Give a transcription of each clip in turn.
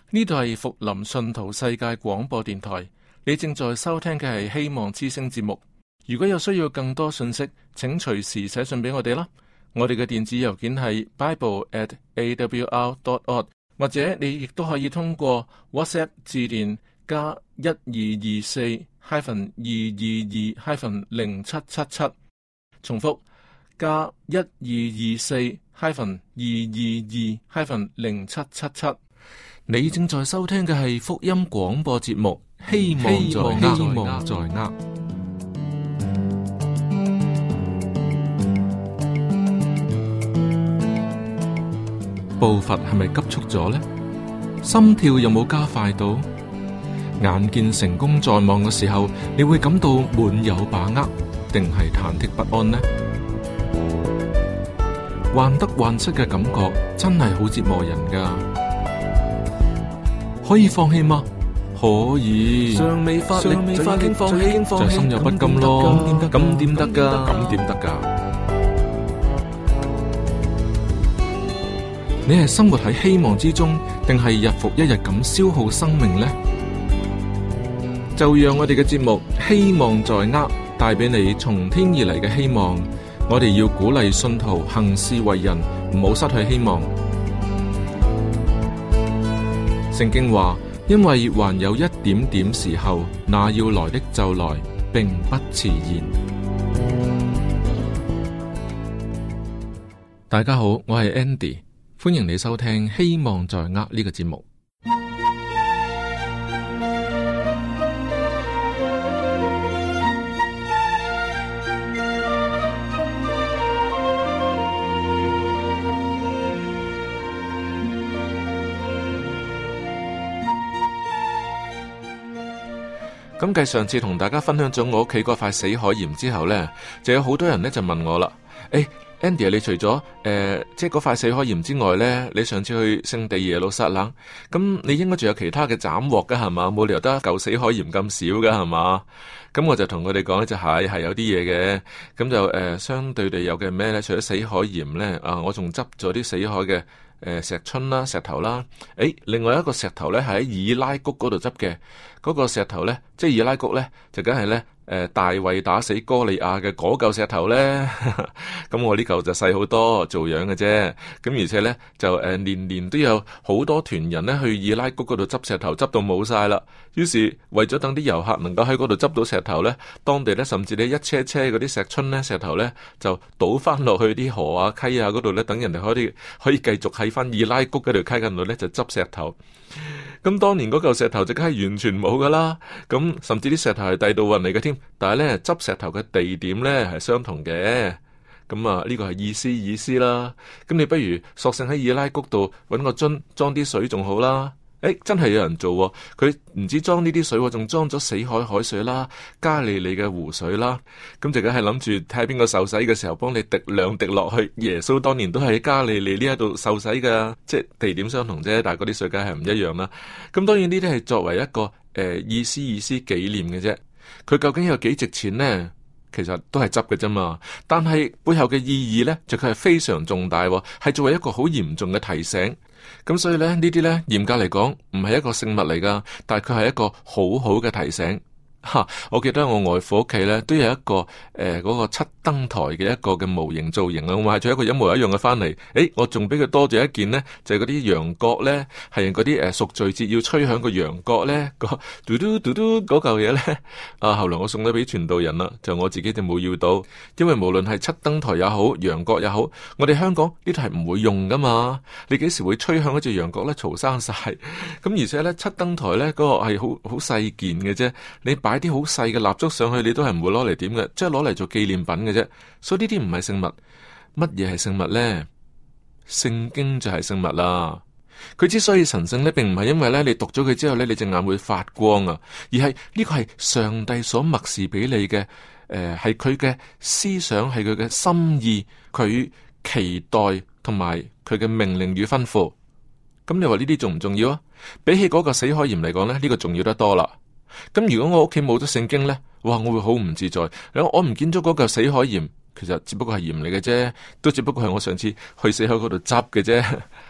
呢度係福林信徒世界廣播電台，你正在收聽嘅係希望之聲節目。如果有需要更多信息，請隨時寫信俾我哋啦。我哋嘅電子郵件係 bible@awr.org， 或者你亦都可以通過 WhatsApp 致電加1224-222-0777，重複加1224-222-0777。你正在收聽嘅係福音廣播節目，希望在握。步伐係咪急促咗呢？心跳有冇加快到？眼見成功在望嘅時候，你會感到滿有把握，定係忐忑不安呢？患得患失嘅感覺真係好折磨人㗎。可以放棄嗎？可以。尚未發力就已經放棄，就心有不甘咯。咁點得㗎？咁點得㗎？你係生活喺希望之中，定係日復一日咁消耗生命呢？就讓我哋嘅節目希望在握，帶俾你從天而嚟嘅希望。我哋要鼓勵信徒行事為人，唔好失去希望。聖經話，因為還有一點點時候，那要來的就來，並不遲延。大家好，我係 Andy， 歡迎你收聽希望在握呢個節目。咁繼上次同大家分享咗我屋企嗰塊死海鹽之後呢，就有好多人呢就問我啦，Andy， 你除咗即係嗰塊死海鹽之外呢，你上次去聖地耶路撒冷，咁你應該仲有其他嘅斬獲噶係嘛？冇理由得一嚿死海鹽咁少噶係嘛？咁我就同佢哋講咧，就係有啲嘢嘅，咁就相對地有嘅咩呢？除咗死海鹽呢，我仲執咗啲死海嘅石春啦、石頭啦，另外一個石頭呢，係喺以拉谷嗰度執嘅，嗰個石頭呢，即係以拉谷呢，就梗係呢。大衛打死哥利亞嘅嗰嚿石頭呢，咁我呢嚿就細好多，做樣嘅啫。咁而且呢，就年年都有好多團人呢去以拉谷嗰度執石頭，執到冇晒啦。於是為咗等啲遊客能夠喺嗰度執到石頭呢，當地呢，甚至呢一車車嗰啲石春呢、石頭呢，就倒翻落去啲河啊、溪啊嗰度呢，等人哋可以繼續喺翻以拉谷嗰條溪嗰度呢，就執石頭。咁當年嗰嚿石頭就梗係完全冇噶啦，咁甚至啲石頭係第度運嚟嘅添，但係咧執石頭嘅地點咧係相同嘅，咁啊呢個係意思啦。咁你不如索性喺以拉谷度搵個樽裝啲水仲好啦。真係有人做喎，佢唔止裝呢啲水喎，仲裝咗死海海水啦、加利利嘅湖水啦，咁就梗係諗住睇下邊個受洗嘅時候幫你滴兩滴落去。耶穌當年都係喺加利利呢一度受洗噶，即係地點相同啫，但係嗰啲水梗係唔一樣啦。咁當然呢啲係作為一個意思紀念嘅啫，佢究竟有幾值錢呢？其實都係執嘅啫嘛，但係背後嘅意義呢，就佢係非常重大，係作為一個好嚴重嘅提醒。咁所以咧，呢啲呢，嚴格嚟講唔係一個聖物嚟噶，但係佢係一個好好嘅提醒。我記得我外父屋企咧都有一個嗰個七燈台嘅一個嘅模型造型啊，我買咗一個一模一樣嘅翻嚟。我仲俾佢多咗一件呢，就係嗰啲羊角咧，係嗰啲贖罪節要吹響個羊角咧，個嘟嘟嘟嘟嗰嚿嘢咧。後來我送咗俾傳道人啦，就我自己就冇要到，因為無論係七燈台也好，羊角也好，我哋香港呢度係唔會用噶嘛。你幾時會吹響嗰隻羊角咧？嘈生晒。咁而且咧，七燈台咧嗰個係好細件嘅啫，你擺啲好細嘅蠟燭上去，你都係唔會攞嚟點嘅，即係攞嚟做紀念品嘅啫。所以呢啲唔係聖物。乜嘢係聖物呢？聖經就係聖物啦。佢之所以神聖呢，並唔係因為咧你讀咗佢之後咧，你隻眼會發光啊，而係呢個係上帝所默示俾你嘅，係佢嘅思想，係佢嘅心意，佢期待同埋佢嘅命令與吩咐。咁你話呢啲重唔重要啊？比起嗰個死海鹽嚟講咧，呢個重要得多啦。咁如果我屋企冇咗聖經呢，哇，我會好唔自在。我唔見咗嗰嚿死海鹽，其實只不過係鹽嚟嘅啫，都只不過係我上次去死海嗰度執嘅啫，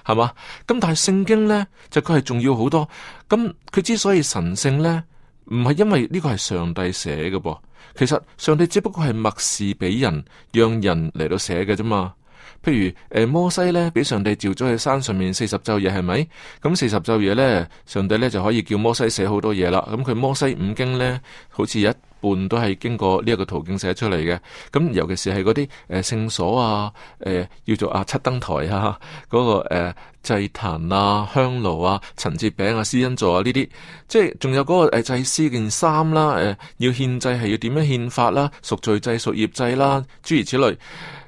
係嘛？咁但係聖經咧就佢係重要好多。咁佢之所以神聖咧，唔係因為呢個係上帝寫嘅噃，其實上帝只不過係默示俾人，讓人嚟到寫嘅啫嘛。譬如摩西咧俾上帝召咗去山上面40晝夜，係咪？咁40晝夜咧，上帝咧就可以叫摩西寫好多嘢啦。咁佢摩西五經咧，好似一半都係經過呢一個途徑寫出嚟嘅。咁尤其是係嗰啲聖所啊，叫做七燈台啊，嗰、那個祭壇啊、香爐啊、陳設餅啊、施恩座啊呢啲，即係仲有嗰個祭司件衫啦，要獻祭係要點樣獻法啦，贖罪祭、贖業祭啦，諸如此類。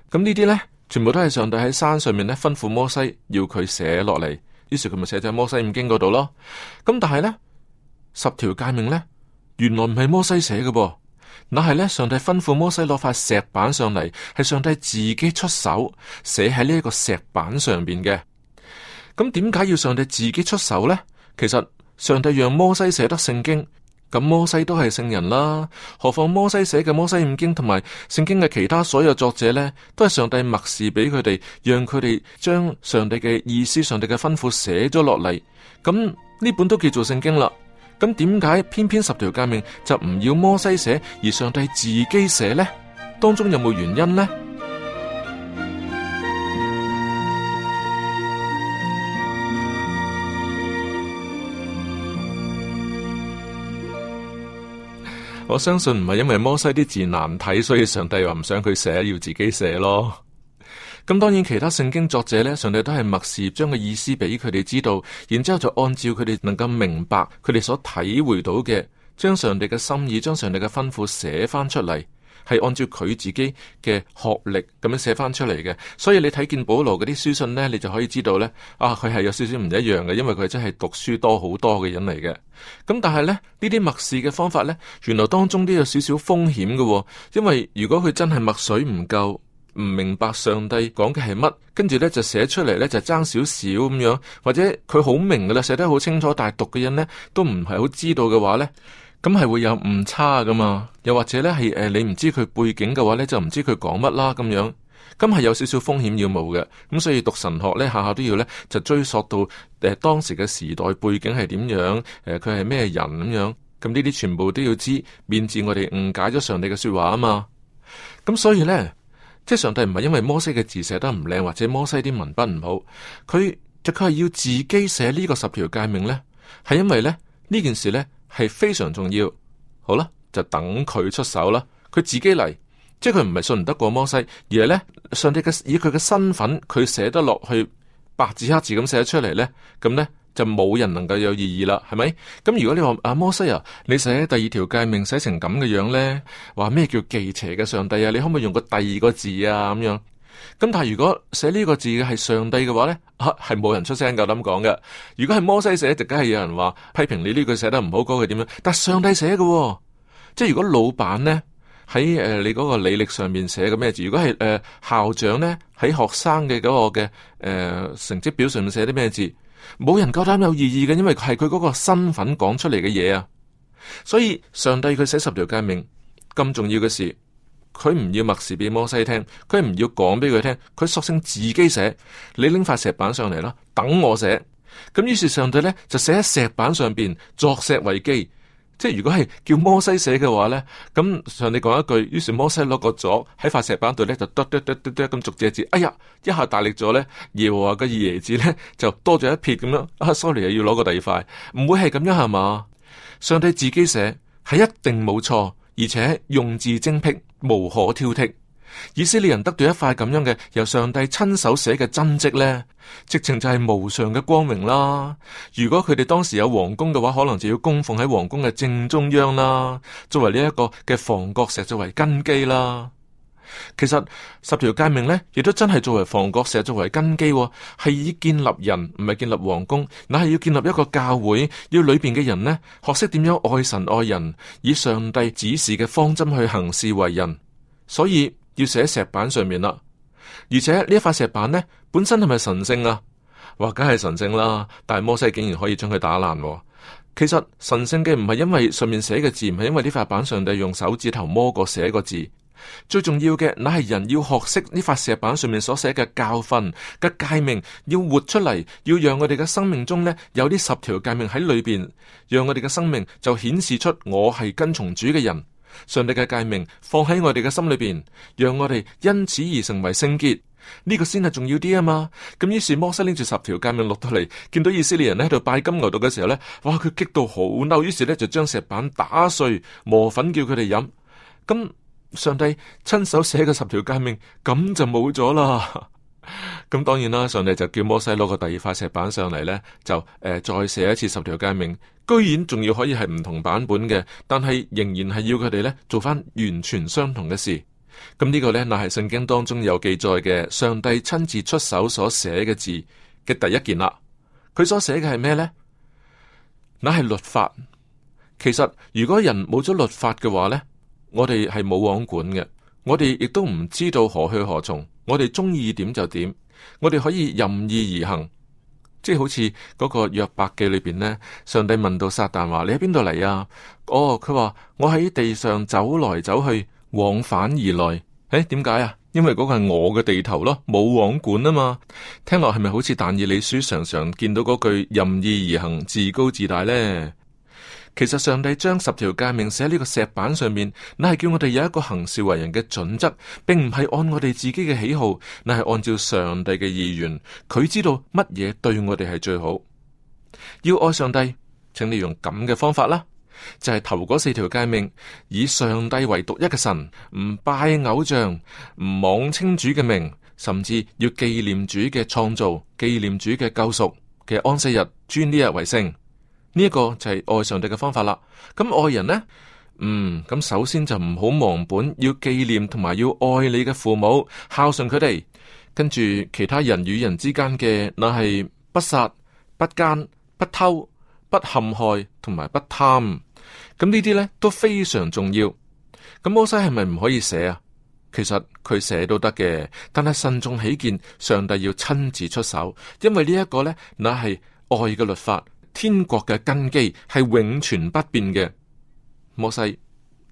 咁呢啲咧，全部都係上帝喺山上面咧吩咐摩西要佢寫落嚟，於是佢咪寫咗喺摩西五經嗰度咯。咁但係咧10條誡命咧，原來唔係摩西寫嘅噃，那係咧上帝吩咐摩西攞塊石板上嚟，係上帝自己出手寫喺呢一個石板上邊嘅。咁點解要上帝自己出手咧？其實上帝讓摩西寫得聖經。咁摩西都係聖人啦，何況摩西寫嘅摩西五經同埋聖經嘅其他所有作者呢，都係上帝默示俾佢哋，讓佢哋將上帝嘅意思、上帝嘅吩咐寫咗落嚟。咁呢本都叫做聖經啦。咁點解偏偏10條誡命就唔要摩西寫，而上帝自己寫呢？當中有冇原因呢？我相信唔係因為摩西啲字難睇，所以上帝話唔想佢寫，要自己寫咯。咁當然其他聖經作者呢，上帝都係默示將個意思俾佢哋知道，然之後就按照佢哋能夠明白佢哋所體會到嘅，將上帝嘅心意、將上帝嘅吩咐寫翻出嚟，係按照佢自己嘅學歷咁樣寫翻出嚟嘅。所以你睇見保羅嗰啲書信呢，你就可以知道呢，佢係有少少唔一樣嘅，因為佢真係讀書多好多嘅人嚟嘅。咁但係呢，呢啲默示嘅方法呢，原來當中都有少少風險嘅，因為如果佢真係墨水唔夠，唔明白上帝講嘅係乜，跟住呢就寫出嚟呢就爭少少咁樣，或者佢好明噶啦，寫得好清楚，但係讀嘅人呢都唔係好知道嘅話呢，咁係會有誤差噶嘛。又或者呢係你唔知佢背景嘅話呢，就唔知佢講乜啦咁樣，咁係有少少風險要冒嘅。咁所以讀神學呢，下下都要呢就追溯到當時嘅時代背景係點樣，佢係咩人咁樣，咁呢啲全部都要知，免致我哋誤解咗上帝嘅說話啊嘛。咁所以呢，即係上帝唔係因為摩西嘅字寫得唔靚，或者摩西啲文筆唔好，佢係要自己寫呢個10條誡命呢，係因為呢件事呢係非常重要。好啦，就等佢出手啦，佢自己嚟，即係佢唔係信唔得過摩西，而係呢，上帝以佢嘅身份，佢寫得落去白紙黑字咁寫出嚟呢，咁呢就冇人能夠有異議啦，係咪？咁如果你話摩西啊，你寫第2條誡命寫成咁嘅樣呢，話咩叫忌邪嘅上帝啊？你可唔可以用個第2個字啊？咁樣，咁但係如果寫呢個字嘅係上帝嘅話呢，係冇人出聲夠膽講嘅。如果係摩西寫，就梗係有人話批評你呢句寫得唔好，嗰句點樣？但係上帝寫嘅，即係如果老闆呢喺你嗰個履歷上面寫嘅咩字，如果係校長呢喺學生嘅嗰個嘅成績表上面寫啲咩字，冇人夠膽有異議嘅，因為係佢嗰個身份講出嚟嘅嘢啊。所以上帝佢寫10條誡命咁重要嘅事，佢唔要默示俾摩西聽，佢唔要講俾佢聽，佢索性自己寫。你拎塊石板上嚟啦，等我寫。咁於是上帝呢就寫喺石板上邊，作石為記。即係如果係叫摩西寫嘅話呢，咁上帝講一句，於是摩西攞個鑿喺塊石板度呢，就嘟咁逐隻字，哎呀，一下大力咗呢，耶和華嘅耶字呢，就多咗一撇咁樣。sorry 又要攞個第2塊，唔會係咁樣係嘛？上帝自己寫係一定冇錯，而且用字精闢，無可挑剔。以色列人得到一塊咁樣嘅由上帝親手寫嘅真跡呢，直情就係無上嘅光榮啦。如果佢哋當時有皇宮嘅話，可能就要供奉喺皇宮嘅正中央啦，作為呢一個嘅房角石，作為根基啦。其實10條誡命呢，亦都真係作為房角石，作為根基，係以建立人，唔係建立皇宮，乃係要建立一個教會，要裏邊嘅人呢，學識點樣愛神愛人，以上帝指示嘅方針去行事為人。所以要寫喺石板上面啦，而且呢一塊石板呢，本身係咪神聖啊？話梗係神聖啦，但係摩西竟然可以將佢打爛。其實神聖嘅唔係因為上面寫嘅字，唔係因為呢塊板上帝用手指頭摸過寫個字，最重要嘅，乃係人要學識呢塊石板上面所寫嘅教訓嘅誡命，要活出嚟，要讓我哋嘅生命中呢有呢10條誡命喺裏邊，讓我哋嘅生命就顯示出我係跟從主嘅人。上帝嘅誡命放喺我哋嘅心裏邊，讓我哋因此而成為聖潔，呢個先係重要啲啊嘛。咁於是摩西拎住10條誡命落到嚟，見到以色列人喺度拜金牛犢嘅時候呢，哇！佢激到好嬲，於是呢就將石板打碎，磨粉叫佢哋飲。咁上帝親手寫嘅10條誡命，咁就冇咗啦。咁當然啦，上帝就叫摩西攞個第二塊石板上嚟呢，就再寫一次10條誡命，居然仲要可以係唔同版本嘅，但係仍然係要佢哋呢做翻完全相同嘅事。咁呢個呢，乃係聖經當中有記載嘅上帝親自出手所寫嘅字嘅第一件啦。佢所寫嘅係咩呢？乃係律法。其實如果人冇咗律法嘅話呢，我哋係冇王管嘅，我哋亦都唔知道何去何從，我哋中意點就點，我哋可以任意而行。即係好似嗰個約伯記裏邊呢，上帝問到撒旦話：你喺邊度嚟啊？哦，佢話我喺地上走來走去，往返而來。誒，點解啊？因為嗰個係我嘅地頭咯，冇王管啊嘛。聽落係咪好似但以理書常常見到嗰句任意而行，自高自大呢？其實上帝將10條誡命寫喺呢個石板上面，乃係叫我哋有一個行事為人嘅準則，並唔係按我哋自己嘅喜好，乃係按照上帝嘅意願。佢知道乜嘢對我哋係最好。要愛上帝，請你用咁嘅方法啦，就係頭嗰4條誡命，以上帝為獨一嘅神，唔拜偶像，唔妄稱主嘅名，甚至要紀念主嘅創造，紀念主嘅救贖嘅安息日，尊呢日為聖。呢一個就係愛上帝嘅方法啦。咁愛人呢？咁首先就唔好忘本，要紀念同埋要愛你嘅父母，孝順佢哋。跟住其他人與人之間嘅，那係不殺、不奸、不偷、不陷害同埋不貪。咁呢啲呢都非常重要。咁摩西係咪唔可以寫啊？其實佢寫都得嘅，但係慎重起見，上帝要親自出手，因為呢一個呢，那係愛嘅律法。天國嘅根基係永存不變嘅。摩西，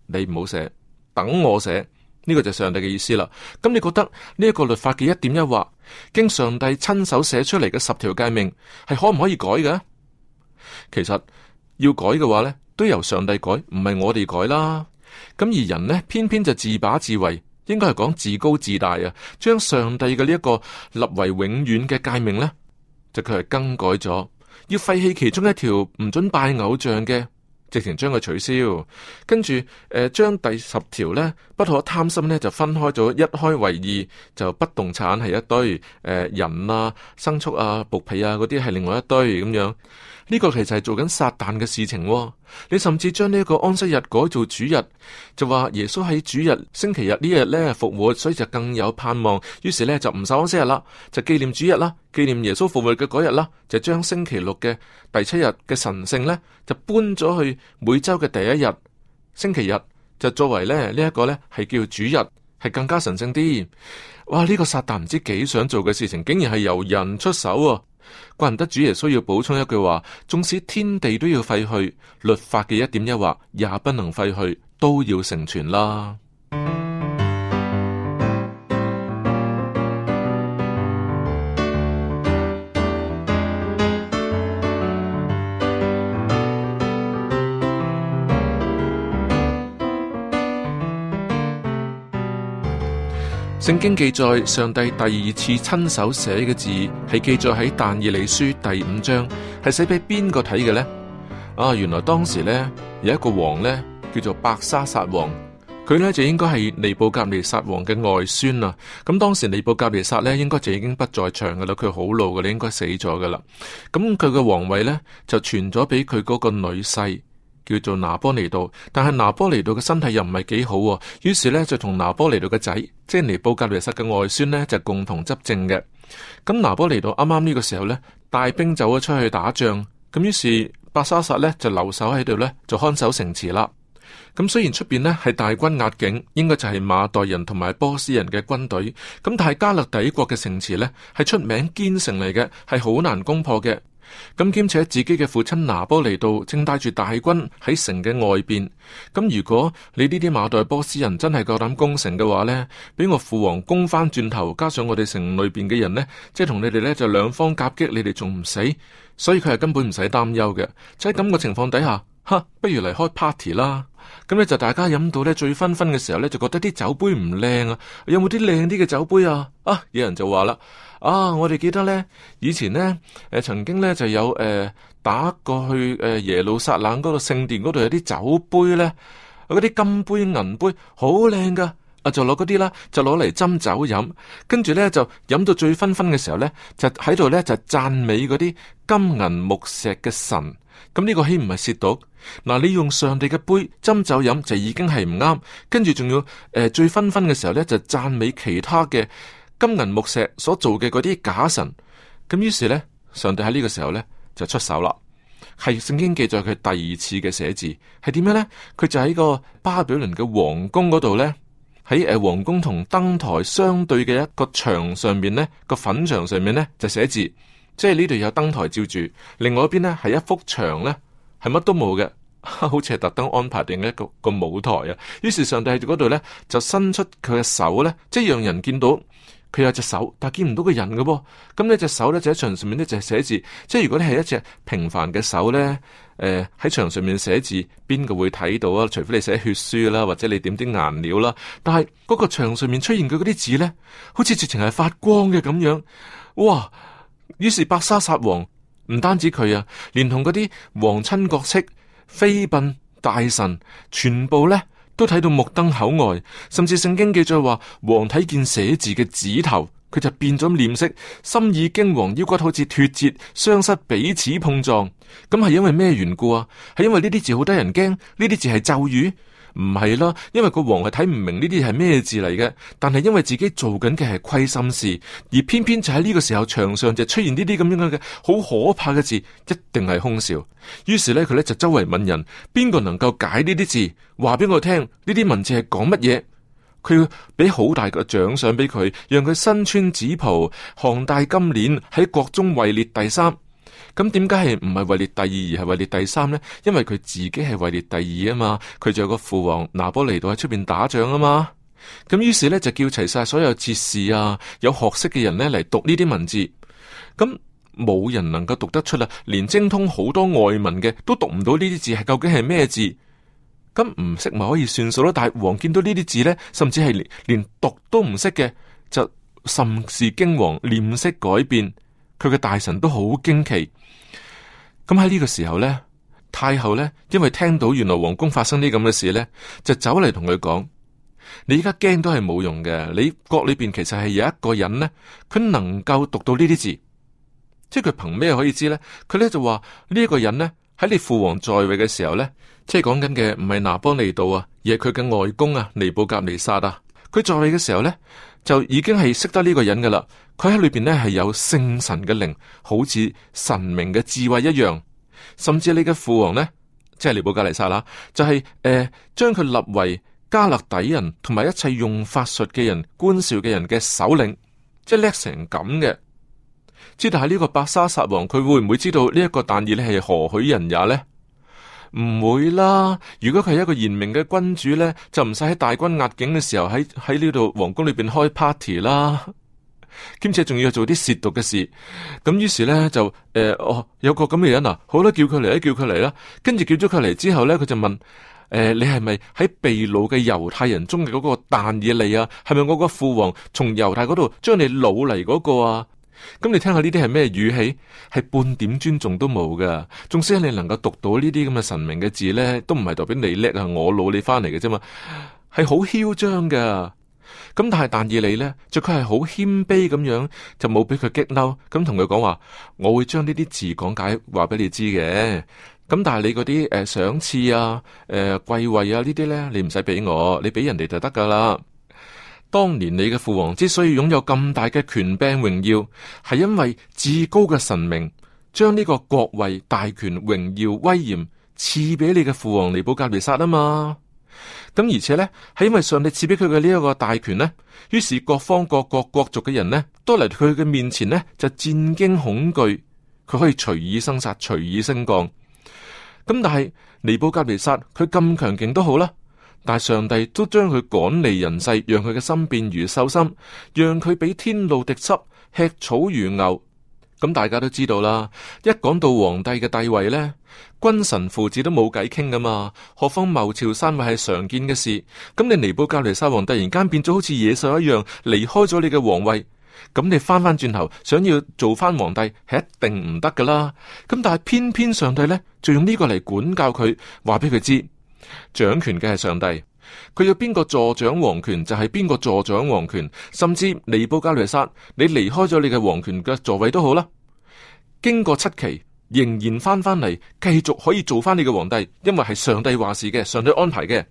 你唔好寫，等我寫，呢個就係上帝嘅意思啦。咁你覺得呢一個律法嘅一點一畫，經上帝親手寫出嚟嘅10條誡命，係可唔可以改嘅？其實要改嘅話呢，都由上帝改，唔係我哋改啦。咁而人呢，偏偏就自把自為，應該係講自高自大啊，將上帝嘅呢一個立為永遠嘅誡命呢，就佢係更改咗。要廢棄其中一條唔准拜偶像嘅，直情將佢取消。跟住將第10條呢，不可貪心呢，就分開咗，一開為二，就不動產係一堆，人啊、牲畜啊、僕婢啊嗰啲係另外一堆咁樣。呢個其實係做緊撒旦嘅事情喎。你甚至將呢一個安息日改做主日，就話耶穌喺主日星期日呢日呢復活，所以就更有盼望。於是呢，就唔守安息日啦，就紀念主日啦，紀念耶穌復活嘅嗰日啦，就將星期六嘅第7日嘅神聖呢，就搬咗去每周嘅第一日星期日，就作為呢一個呢係叫主日，係更加神聖啲。哇！呢個撒旦唔知幾想做嘅事情，竟然係由人出手啊！怪唔得主耶穌要補充一句話：縱使天地都要廢去，律法嘅一點一畫也不能廢去，都要成全啦。聖經記載，上帝第2次親手寫嘅字係記載喺但以理書第5章，係寫俾邊個睇嘅呢？原來當時呢，有一個王呢，叫做伯沙撒王，佢呢就應該係尼布甲尼撒王嘅外孫啊。咁當時尼布甲尼撒呢，應該就已經不在場噶啦，佢好老噶啦，應該死咗噶啦。咁佢嘅皇位呢，就傳咗俾佢嗰個女婿，叫做拿波尼度，但係拿波尼度嘅身體又唔係幾好，於是呢，就同拿波尼度嘅仔，即係尼布甲尼撒嘅外孫呢，就共同執政嘅。咁拿波尼度啱啱呢個時候呢，帶兵走咗出去打仗，咁於是伯沙撒呢，就留守喺度呢，就看守城池啦。咁雖然出邊呢係大軍壓境，應該就係馬代人同埋波斯人嘅軍隊，咁但係加勒底國嘅城池呢，係出名堅城嚟嘅，係好難攻破嘅。咁兼且自己嘅父親拿波尼度正帶住大軍喺城嘅外邊。咁如果你呢啲馬代波斯人真係夠膽攻城嘅話呢，俾我父王攻翻轉頭，加上我哋城裏邊嘅人呢，即係同你哋呢就兩方夾擊，你哋仲唔死？所以佢係根本唔使擔憂嘅。就喺咁嘅情況底下，不如嚟開 party 啦。咁咧就大家飲到咧醉醺醺嘅時候咧，就覺得啲酒杯唔靚啊，有冇啲靚啲嘅酒杯啊？有人就話啦，我哋記得咧以前咧曾經咧就有打過去耶路撒冷嗰度聖殿嗰度有啲酒杯咧，嗰啲金杯銀杯好靚噶，就攞嗰啲啦，就攞嚟斟酒飲，跟住咧就飲到醉醺醺嘅時候咧，就喺度咧就讚美嗰啲金銀木石嘅神。咁呢個豈唔係褻瀆？嗱，你用上帝嘅杯斟酒飲就已經係唔啱，跟住仲要醉醺醺嘅時候咧就讚美其他嘅金銀木石所做嘅嗰啲假神。咁於是咧，上帝喺呢個時候咧就出手啦。係聖經記載佢第二次嘅寫字係點樣咧？佢就喺個巴比倫嘅皇宮嗰度咧，喺皇宮同燈台相對嘅一個牆上面咧，個粉牆上面咧就寫字。即係呢度有燈台照住，另外一邊呢係一幅牆呢係乜都冇嘅，好似係特登安排定一個舞台啊。於是上帝喺嗰度呢，就伸出佢嘅手呢，即係讓人見到佢有隻手，但係見唔到個人嘅噃。咁呢隻手呢，就喺牆上面呢，就係寫字。即係如果你係一隻平凡嘅手呢，喺牆上面寫字，邊個會睇到啊？除非你寫血書啦，或者你點啲顏料啦。但係嗰個牆上面出現嘅嗰啲字呢，好似直情係發光嘅咁樣，哇！於是伯沙撒王唔單止佢啊，連同嗰啲皇親國戚、妃嬪、大臣，全部咧都睇到目瞪口呆。甚至聖經記載話，王睇見寫字嘅指頭，佢就變咗臉色，心意驚惶，腰骨好似脫節，雙膝彼此碰撞。咁係因為咩緣故啊？係因為呢啲字好得人驚，呢啲字係咒語？唔係啦，因為個王係睇唔明呢啲係咩字嚟嘅，但係因為自己做緊嘅係虧心事，而偏偏就喺呢個時候牆上就出現呢啲咁樣嘅好可怕嘅字，一定係凶兆。於是咧佢咧就周圍問人，邊個能夠解呢啲字，話俾我聽呢啲文字係講乜嘢？佢要俾好大個獎賞俾佢，讓佢身穿紫袍，項戴金鏈，喺國中位列第三。咁點解係唔係位列第二而係位列第三呢？因為佢自己係位列第二啊嘛，佢仲有個父王拿波尼度喺出邊打仗啊嘛。咁於是咧就叫齊晒所有哲士啊，有學識嘅人咧嚟讀呢啲文字。咁冇人能夠讀得出啦，連精通好多外文嘅都讀唔到呢啲字係究竟係咩字。咁唔識咪可以算數咯？但係王見到呢啲字咧，甚至係連讀都唔識嘅，就甚是驚惶，臉色改變。佢嘅大臣都好驚奇。咁喺呢個時候呢，太后呢，因為聽到原來皇宮發生啲咁嘅事呢，就走嚟同佢講：你而家驚都係冇用嘅，你國裏邊其實係有一個人呢，佢能夠讀到呢啲字。即係佢憑咩可以知呢？佢呢就話呢一個人呢，喺你父王在位嘅時候呢，即係講緊嘅唔係拿波尼度啊，而係佢嘅外公啊，尼布甲尼撒啊。佢在位嘅時候呢，就已經係識得呢個人噶啦。佢喺裏邊呢係有聖神嘅靈，好似神明嘅智慧一樣。甚至你嘅父王呢，即係尼布甲尼撒啦，就係將佢立為加勒底人同埋一切用法術嘅人、觀兆嘅人嘅首領，即係叻成咁嘅。知道係呢個伯沙撒王，佢會唔會知道呢一個但以理係何許人也呢？唔會啦！如果佢係一個賢明嘅君主呢，就唔使喺大軍壓境嘅時候喺呢度皇宮裏邊開 party 啦，兼且仲要做啲褻瀆嘅事。咁於是呢，就有個咁嘅人啊，好啦，叫佢嚟啦，叫佢嚟啦。跟住叫咗佢嚟之後呢，佢就問你係咪喺被擄嘅猶太人中嘅嗰個但以理啊？係咪我個父王從猶太嗰度將你擄嚟嗰個啊？咁你聽下呢啲係咩語氣？係半點尊重都冇噶。縱使你能夠讀到呢啲咁嘅神明嘅字呢，都唔係代表你叻啊！我擄你翻嚟嘅啫嘛，係好囂張噶。咁但係但以理呢，就佢係好謙卑咁樣，就冇俾佢激嬲，咁同佢講話，我會將呢啲字講解話俾你知嘅。咁但係你嗰啲賞賜啊、貴位啊呢啲呢，你唔使俾我，你俾人哋就得噶啦。當年你嘅父王之所以擁有咁大嘅權柄榮耀，係因為至高嘅神明將呢個國位、大權、榮耀、威嚴賜俾你嘅父王尼布甲尼撒啊嘛。咁而且呢，係因為上帝賜俾佢嘅呢一個大權呢，於是各方各國國族嘅人呢，都嚟佢嘅面前呢，就戰驚恐懼。佢可以隨意生殺，隨意升降。咁但係尼布甲尼撒佢咁強勁都好啦，但係上帝都將佢趕離人世，讓佢嘅心變如獸心，讓佢俾天露滴濕，吃草如牛。咁大家都知道啦，一講到皇帝嘅地位呢，君臣父子都冇計傾噶嘛，何況謀朝篡位係常見嘅事。咁你尼布甲尼撒王突然間變咗好似野獸一樣離開咗你嘅皇位，咁你翻翻轉頭想要做翻皇帝係一定唔得噶啦。咁但係偏偏上帝呢，就用呢個嚟管教佢，話俾佢知掌權嘅係上帝，佢要邊個助長皇權就係邊個助長皇權，甚至尼布甲尼撒你離開咗你嘅皇權嘅座位都好啦，經過7期仍然翻翻嚟，繼續可以做翻你嘅皇帝，因為係上帝話事嘅，上帝安排嘅。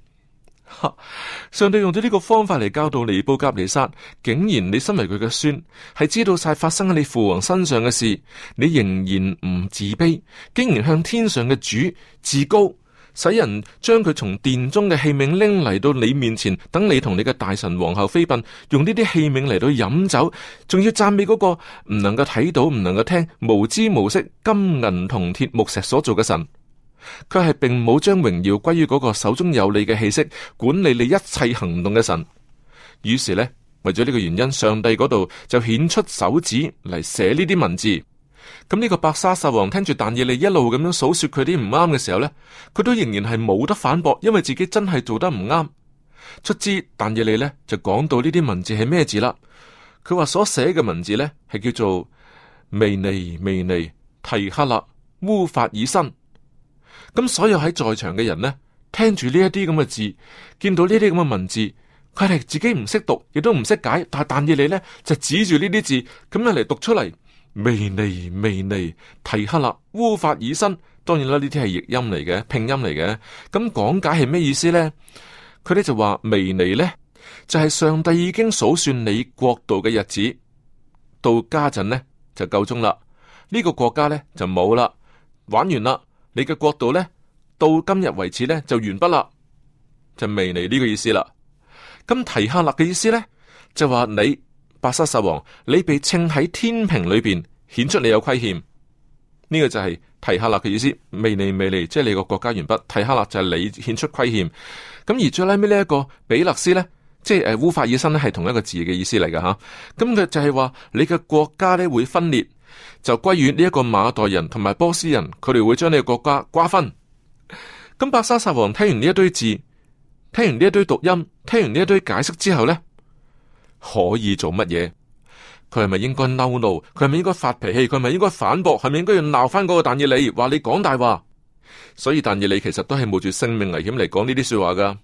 上帝用咗呢個方法嚟教導尼布甲尼撒，竟然你身為佢嘅孫，係知道晒發生喺你父王身上嘅事，你仍然唔自卑，竟然向天上嘅主自高，使人將佢從殿中嘅器皿拎嚟到你面前，等你同你嘅大臣皇后妃嬪用呢啲器皿嚟到飲酒，仲要讚美嗰個唔能夠睇到、唔能夠聽、無知無識、金銀銅鐵木石所做嘅神。佢係並冇將榮耀歸於嗰個手中有你嘅氣息，管理你一切行動嘅神。於是呢，為咗呢個原因，上帝嗰度就顯出手指嚟寫呢啲文字。咁呢個伯沙撒王聽住但以理一路咁樣數說佢啲唔啱嘅時候呢，佢都仍然係冇得反駁，因為自己真係做得唔啱。卒之但以理呢就講到呢啲文字係咩字啦。佢話所寫嘅文字呢係叫做微尼微尼提克勒烏法爾新。咁所有喺在場嘅人呢，聽住呢一啲咁嘅字，見到呢啲咁嘅文字，佢哋自己唔識讀，亦都唔識解，但以理呢就指住呢啲字咁樣嚟讀出嚟，微尼微尼提克勒烏法爾新。當然啦，呢啲係譯音嚟嘅，拼音嚟嘅。咁講解係咩意思呢？佢哋就話微尼呢，就係上帝已經數算你國度嘅日子，到家陣呢就夠鐘啦。呢個國家呢就冇啦，玩完啦。你嘅國度呢，到今日為止呢，就完畢啦，就微尼呢個意思啦。咁提克勒嘅意思呢，就話你伯沙撒王，你被稱喺天平裏邊，顯出你有虧欠。呢個就係提克勒嘅意思。微尼微尼，即係你個國家完畢。提克勒就係你顯出虧欠。咁而最拉尾呢一個比勒斯呢，即係烏法爾新呢，係同一個字嘅意思嚟噶吓。咁佢就係話你嘅國家呢會分裂，就歸於呢一個馬代人同埋波斯人，佢哋會將你嘅國家瓜分。咁伯沙撒王聽完呢一堆字，聽完呢一堆讀音，聽完呢一堆解釋之後呢，可以做乜嘢？佢係咪應該嬲怒？佢係咪應該發脾氣？佢係咪應該反駁？係咪應該要鬧翻嗰個但以理，話你講大話？所以但以理其實都係冒住性命危險嚟講呢啲說話噶。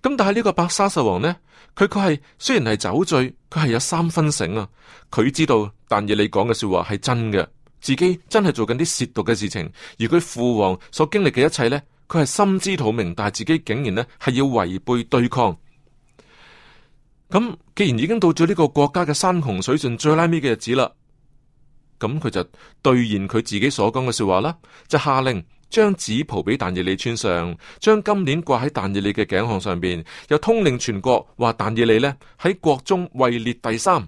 咁但係呢個伯沙撒王呢，佢係雖然係酒醉，佢係有3分醒啊。佢知道但以理講嘅說話係真嘅，自己真係做緊啲褻瀆嘅事情。而佢父王所經歷嘅一切呢，佢係心知肚明，但係自己竟然呢係要違背對抗。咁既然已經到咗呢個國家嘅山窮水盡最拉尾嘅日子啦，咁佢就兌現佢自己所講嘅說話啦，就下令將紫袍俾但以理穿上，將金鏈掛喺但以理嘅頸項上邊，又通令全國話但以理呢喺國中位列第3。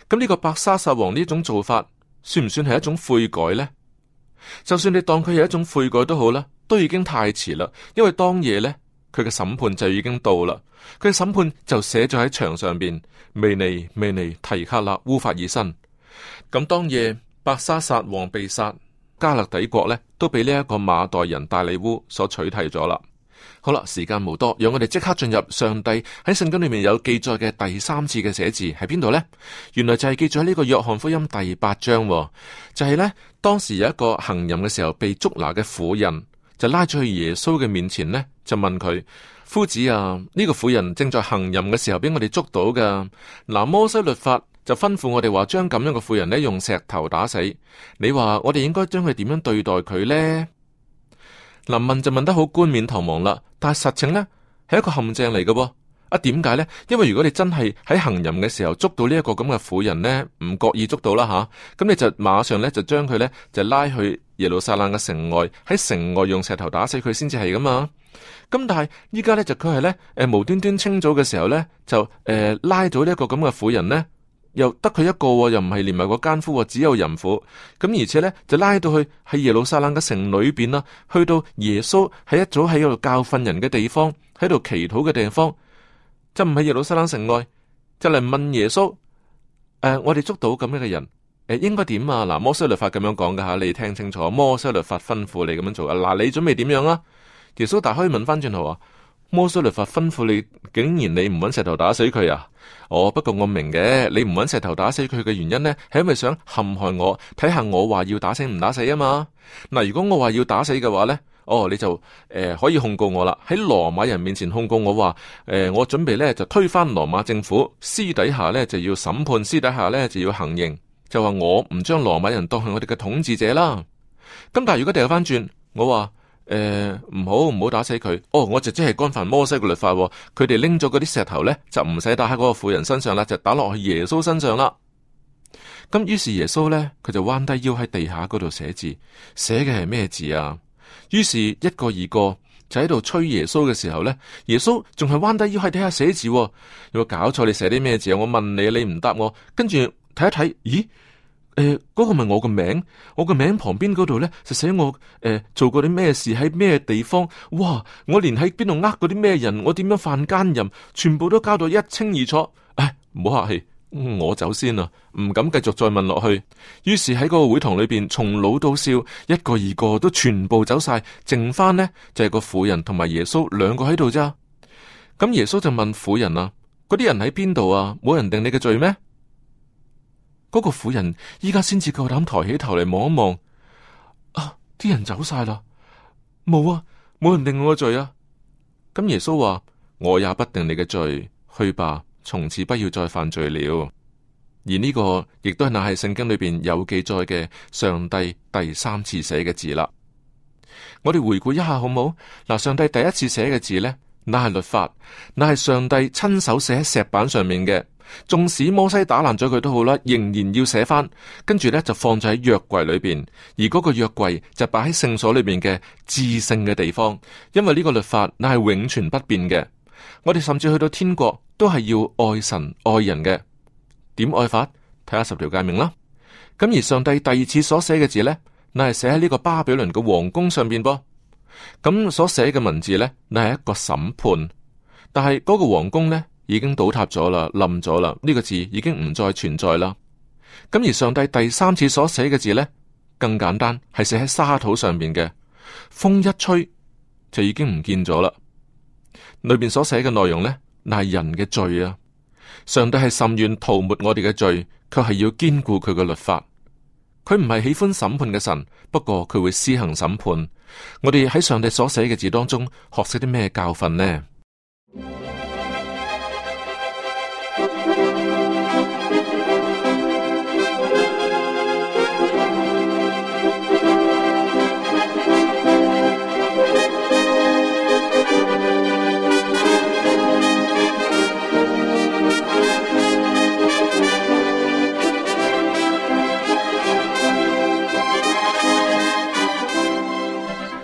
咁呢個伯沙撒王呢種做法，算唔算係一種悔改呢？就算你當佢係一種悔改都好啦，都已經太遲啦，因為當夜呢，佢嘅審判就已經到啦。佢嘅審判就寫咗喺牆上邊，微尼微尼提克勒烏法爾新。咁當夜伯沙撒王被殺，加勒底國呢都被呢一個馬代人大利烏所取締咗啦。好啦，時間無多，讓我哋即刻進入上帝喺聖經裏面有記載嘅第3次嘅寫字喺邊度呢？原來就係記載喺呢個約翰福音第8章，就係呢，當時有一個行淫嘅時候被捉拿嘅婦人，就拉咗去耶穌嘅面前呢，就問佢：夫子啊，呢個婦人正在行淫嘅時候俾我哋捉到噶。嗱，摩西律法就吩咐我哋話將咁樣嘅婦人呢用石頭打死。你話我哋應該將佢點樣對待佢呢？嗱，問就問得好冠冕堂皇啦，但係實情呢係一個陷阱嚟嘅喎。啊，點解呢？因為如果你真係喺行淫嘅時候捉到呢一個咁嘅婦人呢，唔覺意捉到啦吓，咁你就馬上呢就將佢呢就拉去耶路撒冷嘅城外，喺城外用石頭打死佢先至係噶嘛。咁但係依家呢就佢係呢無端端清早嘅時候呢就拉咗呢一個咁嘅婦人呢，又得佢一個，又唔係連埋個奸夫，只有淫婦。咁而且呢，就拉到去喺耶路撒冷嘅城裏邊啦，去到耶穌喺一早喺度教訓人嘅地方，喺度祈禱嘅地方，就唔係耶路撒冷城外，就嚟問耶穌：我哋捉到咁樣嘅人，應該點啊？嗱，摩西律法咁樣講噶吓，你聽清楚，摩西律法吩咐你咁樣做啊。嗱，你準備點樣啊？耶穌大可以問翻轉頭話：摩西律法吩咐你，竟然你唔揾石頭打死佢啊？不過我明嘅，你唔揾石頭打死佢嘅原因呢，係因為想陷害我，睇下我話要打死唔打死啊嘛。嗱，如果我話要打死嘅話呢，你就可以控告我啦，喺羅馬人面前控告我話，我準備呢就推翻羅馬政府，私底下呢就要審判，私底下呢就要行刑，就話我唔將羅馬人當係我哋嘅統治者啦。咁但係如果掉翻轉，我話唔好打死佢，我就即係干犯摩西嘅律法，佢哋拎咗嗰啲石頭呢，就唔使打喺嗰個婦人身上啦，就打落去耶穌身上啦。咁於是耶穌呢，佢就彎低腰喺地下嗰度寫字，寫嘅係咩字啊？於是一個二個就喺度催耶穌嘅時候呢，耶穌仲係彎低腰喺地下寫字，有冇搞錯？你寫啲咩字啊？我問你，你唔答我，跟住睇一睇，咦？嗰個咪我個名，我個名旁邊嗰度呢，就寫我做過啲咩事，喺咩地方。哇！我連喺邊度呃過啲咩人，我點樣犯奸淫，全部都交到一清二楚。唔好客氣，我走先啦，唔敢繼續再問落去。於是喺嗰個會堂裏邊，從老到少，一個二個都全部走晒，剩翻呢，就係個婦人同埋耶穌兩個喺度咋。咁耶穌就問婦人啊：嗰啲人喺邊度啊？冇人定你嘅罪咩？嗰個婦人依家先至夠膽抬起頭嚟望一望，啲人走晒啦，冇人定我嘅罪啊！咁耶穌話：我也不定你嘅罪，去吧，從此不要再犯罪了。而呢個亦都係乃係聖經裏邊有記載嘅上帝第三次寫嘅字啦。我哋回顧一下好冇？嗱，上帝第一次寫嘅字呢，乃係律法，乃係上帝親手寫喺石板上面嘅。縱使摩西打爛咗佢都好啦，仍然要寫翻，跟住呢就放咗喺約櫃裏邊，而嗰個約櫃就擺喺聖所裏邊嘅至聖嘅地方，因為呢個律法乃係永存不變嘅。我哋甚至去到天國都係要愛神愛人嘅，點愛法？睇下10條誡命啦。咁而上帝第二次所寫嘅字呢，乃係寫喺呢個巴比倫嘅皇宮上邊噃。咁所寫嘅文字呢，乃係一個審判，但係嗰個皇宮呢，已經倒塌咗啦，冧咗啦，呢個字已經唔再存在啦。咁而上帝第三次所寫嘅字呢，更簡單，係寫喺沙土上邊嘅，風一吹就已經唔見咗啦。裏邊所寫嘅內容呢，乃係人嘅罪啊。上帝係甚願塗抹我哋嘅罪，卻係要堅固佢嘅律法。佢唔係喜歡審判嘅神，不過佢會施行審判。我哋喺上帝所寫嘅字當中學識啲咩教訓呢？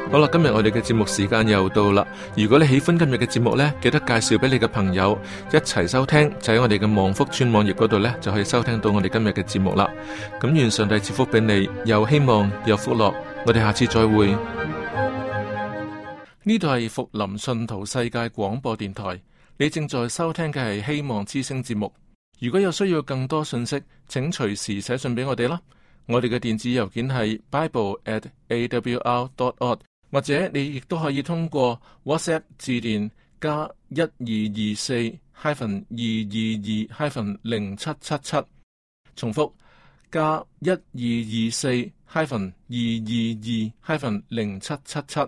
好啦，今日我哋嘅節目時間又到啦。如果你喜歡今日嘅節目呢，記得介紹俾你嘅朋友一齊收聽，就喺我哋嘅望福村網頁嗰度呢，就可以收聽到我哋今日嘅節目啦。咁願上帝賜福俾你，又希望又福樂。我哋下次再會。呢度係福林信徒世界廣播電台，你正在收聽嘅係希望之聲節目。如果有需要更多信息，請隨時寫信俾我哋啦。我哋嘅電子郵件係 bible@awr.org。或者你亦都可以通過 WhatsApp 致電加1224-222-0777，重複加1224-222-0777。